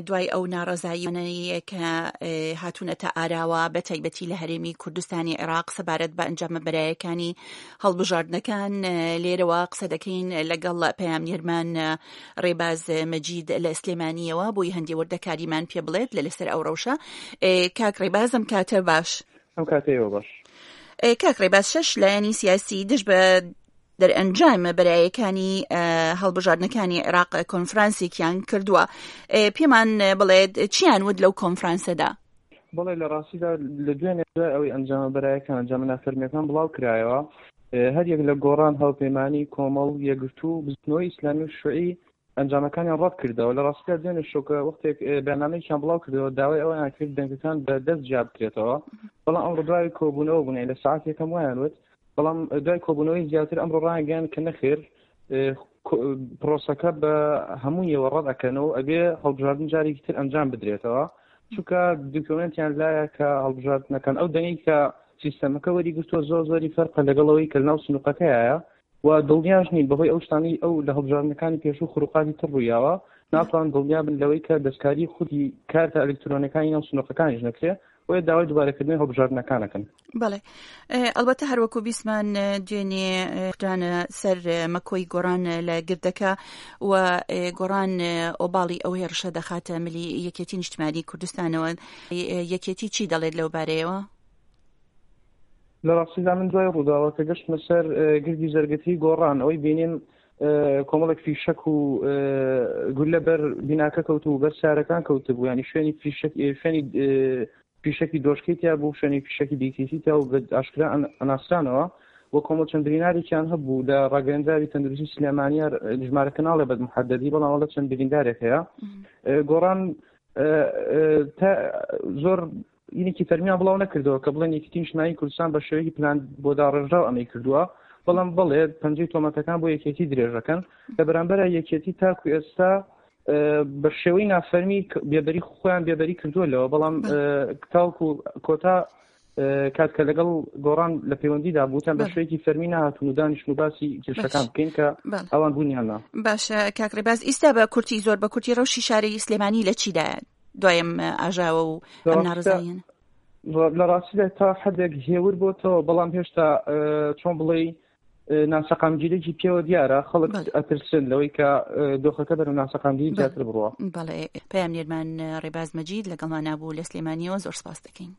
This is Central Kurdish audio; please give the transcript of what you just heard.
دوای ئەو ناڕەزاییانەی کە هاتوونەتە ئاراوە بە تایبەتی لە هەرێمی کوردستانی عێراق سەبارەت بە ئەنجامە بەرایەکانی هەڵبژاردنەکان لێرەوە قسە دەکەین لەگەڵ پەیامنێرمان ڕێباز مەجید لە سلێمانیەوە بۆی هەندێ وردەکاریمان پێ بڵێت لە لەسەر ئەو ڕەوشە کاک ڕێبازم کاتە باش. ئەم کاتەیەوە باش. کاک ڕێباز شەش لایەنی سیاسی دژ بە دەرئەنجامە بەرایەکانی هەڵبژاردنەکانی عێراق کۆنفرانسێکیان کردووە پێمان بڵێت چیان وت لەو کۆنفرانسەدا؟ بەڵێ لە ڕاستیدا لە دوێنێ دوای ئەوەی ئەنجامە بەرایەکان ئەنجامە نافەرمیەکان بڵاو کرایەوە هەریەک لە گۆڕان هاوپەیمانی کۆمەڵ یەکگرتوو بزوتنەوەی ئیسلامی و شوعی ئەنجامەکانیان ڕەت کردەوە لە ڕاستیدا دوێنێ شەو کە وەختێک بەیاننامەیەکیان بڵاو کردەوە داوای ئەوەیان کرد دەنگەکان بە دەست جیا بکرێتەوە بەڵام ئەمڕۆ دوای کۆبوونەوە بوون لە ساعت یەکەم وایان وت بەڵام دوای کۆبوونەوەی زیاتر ئەمڕۆ ڕایانگەیاند کە نەخێر پرۆسەکە بە هەموویەوە ڕەت ئەکەنەوە ئەبێ هەڵبژاردن جارێکی تر ئەنجام بدرێتەوە چونکە دکۆمنتیان لایە کە هەڵبژاردنەکان ئەو دەنگی کە سیستەمەکە وەری گرتووە زۆر زۆری فەرقە لەگەڵەوەی کە لەناو سنووقەکەیە و دڵنیاش نین بەهۆی ئەو شتانەی ئەو لە هەڵبژاردنەکانی پێشوو خروقاتی تر ڕوویاوە ناتوان دڵنیا بن لەوەی کە دەستکاری خودی کارتە ئەلکترۆنەکانی ناو سنووقەکانیش نەکرێ بۆیە داوای دووبارەکردنەوەی هەڵبژاردنەکان ئەکەن. بەڵێ ئەڵبەتە هەروەکو بیستمان دوێنێ کوترانە سەر مەکۆی گۆڕان لە گردەکە و گۆڕان ئۆباڵی ئەو هێڕشە دەخاتە ملی یەکێتی نیشتمانی کوردستانەوە یەکێتی چی دەڵێت لەو بارەیەوە؟ لە ڕاستیدا من دوای ڕووداوەکە گەشتمە سەر گردی زەرگەتی گۆڕان ئەوەی بینیم کۆمەڵێک فیشەک و گولە بەر بیناکە کەوت و بەر سارەکان کەوتبوو ینی شوێنی فیشەک شوێنی فیشەکی دۆشکەی تیا بوو شوێنی فیشەکی دیکیتی تیا و بە ئاشکرا ئەناسرانەوە و کۆمەڵ چەند برینارێکیان هەبوو لە ڕاگەندراوی تەندروستی سلێمانیار ژمارەکە ناڵێ بە محەدەدی بەڵام وەڵە چەند بریندارێک هەیە گۆڕان تا زۆر ینێکی فەرمیان بڵاو نەکردەوە کە بڵێن یەکێتی نیشتمانی کوردستان بە شێوەیەکی پلان بۆ داڕێژراو ئەمەی کردووە بەڵام بەڵێ پەنجەی تۆمەتەکان بۆ یەکێتی درێژەکەن لە بەرامبەر یەکێتی تاکو ئێستا بە شێوەی نافەرمی بێبەری خۆیان بێبەری کردووە لەوە بەڵام تاوکو کۆتا کات کە لەگەڵ گۆڕان لە پەیوەندیدا بوتان بە شوێکی فەرمی نهاتون و دانیشن و باسی کێشەکان بکەین کە ئەوان بوونیان باشە کاک ڕێباز ئیستا بە کورتی زۆر بە کورتی ڕەوشی شاری سلێمانی لە چیدایە دوای ئەم ئاژاوە و ئەم ناڕەزاییانە؟ لە ڕاستیدا تا حدێک هێور بۆتەوە بەڵام هێشتا چۆن بڵێ ناسەقامگیرێکی پێوە دیارە خەڵک ئەترسن لەوەی کە دۆخەکە بەرەو ناسەقامگیری زیاتر بڕوە. بەڵێ پەیامنێرمان ڕێباز مەجید لەگەڵمان نابوو لە سلێمانیەوە زۆر سپاس دەکەین.